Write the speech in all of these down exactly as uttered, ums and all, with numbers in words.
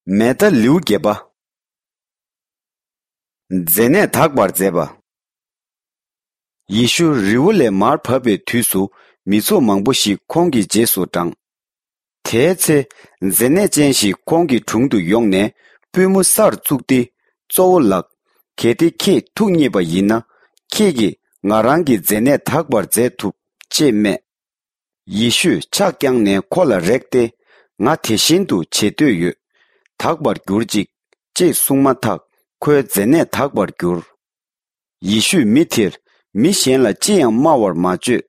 མེ་ད་ལེའུ་བརྒྱད་པ། མཛེ་ནད་དག་པར་མཛད་པ། ཡེ་ཤུ་རི་བོ་ལས་མར་བབས་པའི་དུས་སུ་མི་ཚོགས་མང་པོ་ཞིག་ཁོང་གི་རྗེས་སུ་འབྲངས། དེའི་ཚེ་མཛེ་ནད་ཅན་ཞིག་ཁོང་གི་དྲུང་དུ་ཡོང་ནས་པུས་མོ་སར་བཙུགས་ཏེ། གཙོ་བོ་ལགས། གལ་ཏེ་ཁྱེད་ཐུགས་མཉེས་པ་ཡིན་ན། ཁྱེད་ཀྱིས་ང་རང་གི་མཛེ་ནད་དག་པར་མཛད་ཐུབ། ཅེས་སྨྲས། ཡེ་ཤུས་ཕྱག་བརྐྱངས་ནས་ཁོ་ལ་རེག་སྟེ། ང་དེ་བཞིན་དུ་བྱེད་འདོད་ཡོད། དག་པར་གྱུར་ཅིག་ཅེས་གསུངས་མ་ཐག་ཁོའི་མཛེ་ནད་དག་པར་གྱུར། ཡེ་ཤུས་མི་དེར་མི་གཞན་ལ་ཅི་ཡང་སྨྲ་བར་མ་བྱོས།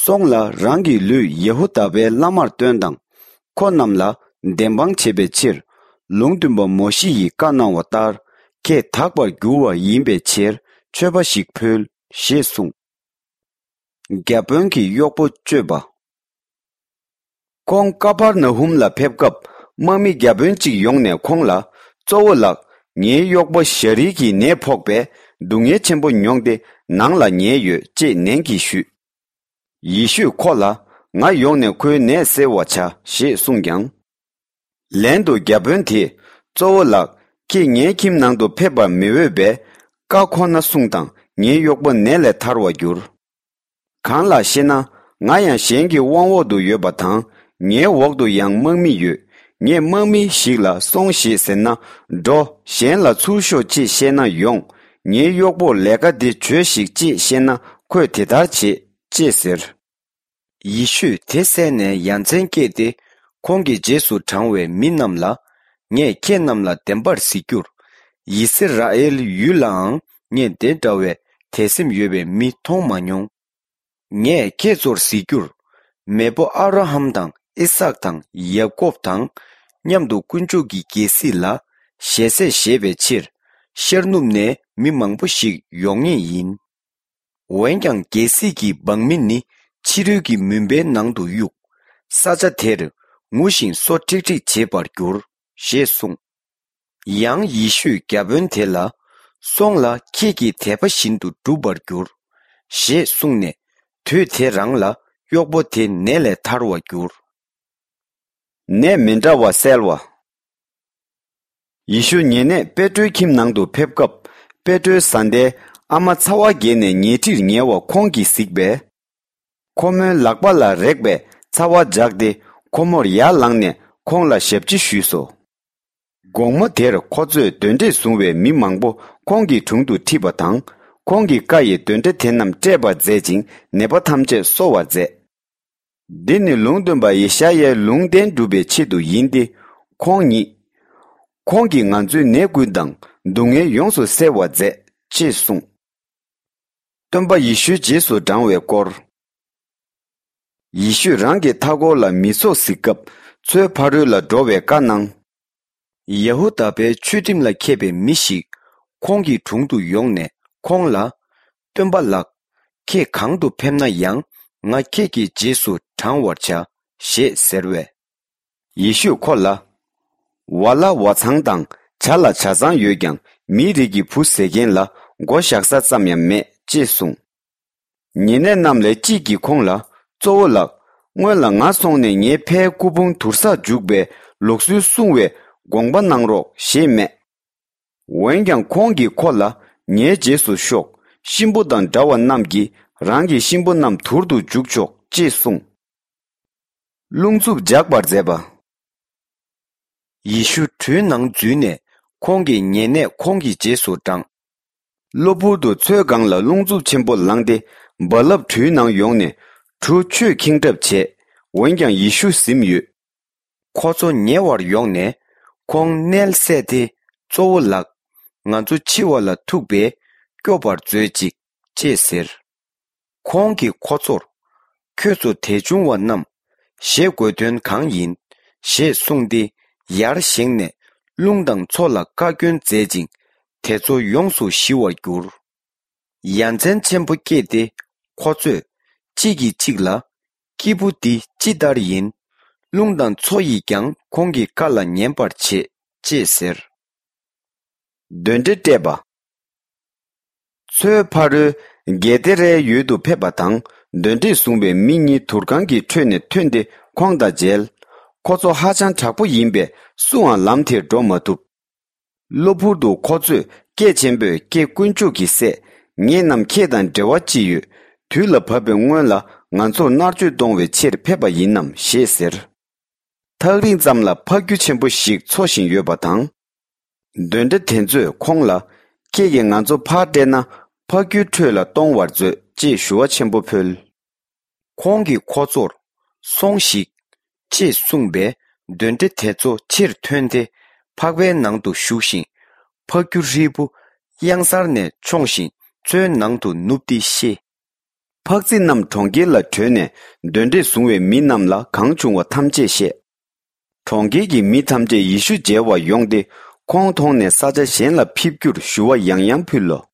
སོང་ལ་རང་གི་ལུས་ཡེ་ཧུ་དཱ་པའི་བླ་མར་སྟོན་དང་། ཁོ་རྣམས་ལ་བདེན་དཔང་བྱེད་པའི་ཕྱིར། ལུང་སྟོན་པ་མོ་ཤེ་ཡིས་བཀའ་གནང་བ་ལྟར་ཁྱེད་དག་པར་འགྱུར་བ་ཡིན་པའི་ཕྱིར་མཆོད་པ་ཞིག་ཕུལ། ཞེས་གསུངས། བརྒྱ་དཔོན་གྱི་གཡོག་པོ་བཅོས་པ། ཁོང་ཀ་པར་ན་ཧུམ་ལ་ཕེབས་སྐབས། དམག་མི་བརྒྱ་དཔོན་གཅིག་ཡོང་ནས་ཁོང་ལ། གཙོ་བོ་ལགས། ངའི་གཡོག་པོ་ཞ་རིལ་གྱི་ནད་ཕོག་པས་སྡུག་བསྔལ་ཆེན་པོ་མྱོང་སྟེ་ནང་ལ་ཉལ་ཡོད། ཅེས་ནན་གྱིས་ཞུས། ཡེ་ཤུས་ཁོ་ལ། ང་ཡོང་ནས་ཁོའི་ནད་སེལ་བར་བྱ། ཞེས་གསུངས་ཀྱང་། ལན་དུ་བརྒྱ་དཔོན་དེས། གཙོ་བོ་ལགས། ཁྱེད་ངའི་ཁྱིམ་ནང་དུ་ཕེབས་པར་མི་འོས་པས། བཀའ་ཁོ་ན་སྲུངས་དང་ངའི་གཡོག་པོ་ནད་ལས་ཐར་བར་འགྱུར། གང་ལགས་ཤེ་ན། ང་ཡང་གཞན་གྱི་དབང་འོག་ཏུ་ཡོད་པ་དང་། ངའི་འོག་ཏུ་ཡང་དམག་མི་ཡོད། ངས་དམག་མི་ཞིག་ལ་སོང་ཞེས་ཟེར་ན། འགྲོ། གཞན་ལ་ཚུར་ཤོག་ཅེས་བཤད་ན་ཡོང་། ངའི་གཡོག་པོར་ལས་ཀ་འདི་བྱོས་ཤིག་ཅེས་བཤད་ན་ཁོས་དེ་ལྟར་བྱེད། ཅེས་ཟེར། ཡེ་ཤུས་དེ་གསན་ནས་ཡ་མཚན་སྐྱེས་ཏེ། ཁོང་གི་རྗེས་སུ་འབྲང་བའི་མི་རྣམས་ལ། ངས་ཁྱེད་རྣམས་ལ་བདེན་པར་གཟིགས་རྒྱུར། ཡི་སི་ར་ཨེལ་ཡུལ་ལའང་ངས་འདི་འདྲ་བའི་དད་སེམས་ཡོད་པའི་མི་མཐོང་མ་མྱོང་། ངས་ཁྱེད་ཚོར་གཟིགས་རྒྱུར། མེས་པོ་ཨབ་ར་ཧམ་དང་ཨི་སཱག་དང་ཡ་ཀོབ་དང་མཉམ་དུ་དཀོན་མཆོག་གི་རྒྱལ་སྲིད་ལ་ཞལ་ཟས་བཞེས་པའི་ཕྱིར། ཤར་ནུབ་ནས་མི་མང་པོ་ཞིག་ཡོང་ངེས་ཡིན། འོན་ཀྱང་རྒྱལ་སྲིད་ཀྱི་འབངས་མི་ནི་ཕྱི་རོལ་གྱི་མུན་པའི་ནང་དུ་གཡུགས། ས་ཆ་དེར་ངུ་ཞིང་སོ་ཁྲིག་ཁྲིག་བྱེད་པར་འགྱུར། ཞེས་གསུངས། ཡང་ཡེ་ཤུས་བརྒྱ་དཔོན་དེ་ལ། སོང་ལ་ཁྱེད་ཀྱི་དད་པ་བཞིན་དུ་འགྲུབ་པར་འགྱུར། ཞེས་གསུངས་ནས། དུས་དེ་རང་ལ་གཡོག་པོ་དེ་ནད་ལས་ཐར་བར་གྱུར། ནད་མི་འདྲ་བ་སེལ་བ། ཡེ་ཤུ་ཉེ་གནས་པེ་ཏྲོའི་ཁྱིམ་ནང་དུ་ཕེབས་སྐབས། པེ་ཏྲོའི་བཟའ་ཟླའི་ཨ་མ་ཚ་བ་རྒྱས་ནས་ཉལ་ཁྲིར་ཉལ་བ་ཁོང་གིས་གཟིགས་པས། ཁོ་མོའི་ལག་པ་ལ་རེག་པས་ཚ་བ་འཇགས་ཏེ། ཁོ་མོར་ཡར་ལངས་ནས་ཁོང་ལ་ཞབས་ཕྱི་ཞུས་སོ། དགོང་མོ་དེར་ཁོ་ཚོས་གདོན་འདྲེས་བཟུང་བའི་མི་མང་པོ་ཁོང་གི་དྲུང་དུ་ཁྲིད་པ་དང་། ཁོང་གི་བཀའ་ཡིས་གདོན་འདྲེ་དེ་རྣམས་བསྐྲད་པར་མཛད་ཅིང་། ནད་པ་ཐམས་ཅད་གསོ་བར་མཛད། འདི་ནི་ལུང་སྟོན་པ་ཡེ་ཤ་ཡའི་ལུང་བསྟན་སྒྲུབ་པའི་ཆེད་དུ་ཡིན་ཏེ། ཁོང་ཉིད། ཁོང་གིས་ང་ཚོའི་ནད་ཀུན་དང་སྡུག་བསྔལ་ཡོངས་སུ་སེལ་བར་མཛད། ཅེས་གསུངས། སྟོན་པ་ཡེ་ཤུའི་རྗེས་སུ་འབྲང་བའི་སྐོར། ཡེ་ཤུས་རང་གི་མཐའ་འཁོར་ལ་མི་ཚོགས་གཟིགས་སྐབས། མཚོའི་ཕ་རོལ་ལ་འགྲོ་བའི་བཀའ་གནང་། ཡ་ཧུ་དཱ་པའི་ཆོས་ཁྲིམས་ལ་མཁས་པའི་མི་ཞིག་ཁོང་གི་དྲུང་དུ་ཡོང་ནས་ཁོང་ལ། སྟོན་པ་ལགས། ཁྱེད་གང་དུ་ཕེབས་ན་ཡང་ང་ཁྱེད་ཀྱི་རྗེས་སུ་འབྲང་བར་བྱ། ཞེས་ཟེར་བས། ཡེ་ཤུས་ཁོ་ལ། ཝ་ལ་ཝ་ཚང་དང་བྱ་ལ་བྱ་ཚང་ཡོད་ཀྱང་མིའི་རིགས་ཀྱི་བུ་ཟེར་མཁན་ལ་མགོ་བཞག་ས་ཙམ་ཡང་མེད། ཅེས་གསུངས། ཉེ་གནས་རྣམས་ལས་གཅིག་གིས་ཁོང་ལ། གཙོ་བོ་ལགས། སྔོན་ལ་ང་སོང་ནས་ངའི་ཕའི་སྐུ་ཕུང་དུར་སར་འཇུག་པའི་ལུགས་སྲོལ་སྲུང་བའི་དགོངས་པ་གནང་རོགས། ཞེས་སྨྲས། འོན་ཀྱང་ཁོང་གིས་ཁོ་ལ། ངའི་རྗེས་སུ་ཤོག་གཤིན་པོ་དང་འདྲ་བ་རྣམས་ཀྱིས་རང་གི་གཤིན་པོ་རྣམས་དུར་དུ་འཇུག་ཆོག་ཅེས་གསུངས། རླུང་འཚུབ་འཇགས་པར་མཛད་པ། ཡེ་ཤུ་གྲུའི་ནང་འཛུལ་ནས་ཁོང་གི་ཉེ་གནས་ཁོང་གི་རྗེས་སུ་འབྲངས། གློ་བུར་དུ་མཚོའི་སྒང་ལ་རླུང་འཚུབ་ཆེན་པོ་ལངས་ཏེ། རྦ་རླབས་གྲུའི་ནང་ཡོང་ནས་གྲུ་ཆུས་ཁེངས་གྲབས་བྱས། འོན་ཀྱང་ཡེ་ཤུ་གཟིམས་ཡོད། ཁོ་ཚོ་ཉེ་བར་ཡོང་ནས་ཁོང་མནལ་སད་དེ། གཙོ་བོ་ལགས། ང་ཚོ་འཆི་བ་ལ་ཐུག་པས་སྐྱོབ་པར་མཛོད་ཅིག་ཅེས་ཟེར། ཁོང་གིས་ཁོ་ཚོར། ཁྱོད་ཚོ་དད་ཆུང་བ་རྣམས། ཞེད་དགོས་དོན་གང་ཡིན། ཞེས་གསུངས་ཏེ། ཡར་བཞེངས་ནས་རླུང་དང་མཚོ་ལ་བཀའ་བཀྱོན་མཛད་ཅིང་། དེ་ཚོ་ཡོངས་སུ་ཞི་བར་གྱུར། ཡ་མཚན་ཆེན་པོ་སྐྱེས་ཏེ། ཁོ་ཚོས་གཅིག་གིས་གཅིག་ལ། སྐྱེས་བུ་འདི་ཅི་ལྟར་ཡིན། རླུང་དང་མཚོ་ཡིས་ཀྱང་ཁོང་གི་བཀའ་ལ་ཉན་པར་བྱེད། ཅེས་ཟེར། གདོན་འདྲེ་བསྐྲད་པ། མཚོའི་ཕ་རོལ་གེ་ཏེ་རའི་ཡུལ་དུ་ཕེབས་པ་དང་། གདོན་འདྲེས་བཟུང་བའི་མི་གཉིས་དུར་ཁང་གི་ཁྲོད་ནས་ཐོན་ཏེ་ཁོང་དང་མཇལ། ཁོ་ཚོ་ཧ་ཅང་དྲག་པོ་ཡིན་པས་སུའང་ལམ་དེར་འགྲོ་མ་ཐུབ། གློ་བུར་དུ་ཁོ་ཚོས་སྐད་ཆེན་པོས། ཀྱེ་དཀོན་མཆོག་གི་སྲས། ངེད་རྣམས་ཁྱེད་དང་འབྲེལ་བ་ཅི་ཡོད། དུས་ལ་བབ་པའི་སྔོན་ལ་ང་ཚོར་མནར་གཅོད་གཏོང་བའི་ཕྱིར་ཕེབས་པ་ཡིན་ནམ་ཞེས་ཟེར། ཐག་རིང་ཙམ་ལ་ཕག་ཁྱུ་ཆེན་པོ་ཞིག་འཚོ་བཞིན་ཡོད་པ་དང་། གདོན་འདྲེ་དེ་ཚོས་ཁོང་ལ། ཁྱེད་ཀྱིས་ང་ཚོ་ཕར་བསྐྲད་ན་ཕག་ཁྱུའི་ཁྲོད་ལ་གཏོང་བར་མཛོད་ཅེས་ཞུ་བ་ཆེན་པོ་ཕུལ། ཁོང་གིས་ཁོ་ཚོར། སོང་ཞིག་ཅེས་གསུངས་པས། གདོན་འདྲེ་དེ་ཚོ་ཕྱིར་ཐོན་ཏེ་ཕག་པའི་ནང་དུ་ཞུགས་ཤིང་། ཕག་ཁྱུ་ཧྲིལ་པོ་གཡང་གཟར་ནས་མཆོངས་ཤིང་མཚོའི་ནང་དུ་ནུབ་སྟེ་ཤི། ཕག་རྫི་རྣམས་གྲོང་ཁྱེར་ལ་བྲོས་ནས་གདོན་འདྲེས་བཟུང་བའི་མི་རྣམས་ལ་གང་བྱུང་བ་ཐམས་ཅད་བཤད། གྲོང་ཁྱེར་གྱི་མི་ཐམས་ཅད་ཡེ་ཤུ་མཇལ་བར་ཡོང་སྟེ་ཁོང་མཐོང་ནས་ས་ཆ་གཞན་ལ་ཕེབས་རྒྱུར་ཞུ་བ་ཡང་ཡང་ཕུལ་ལོ།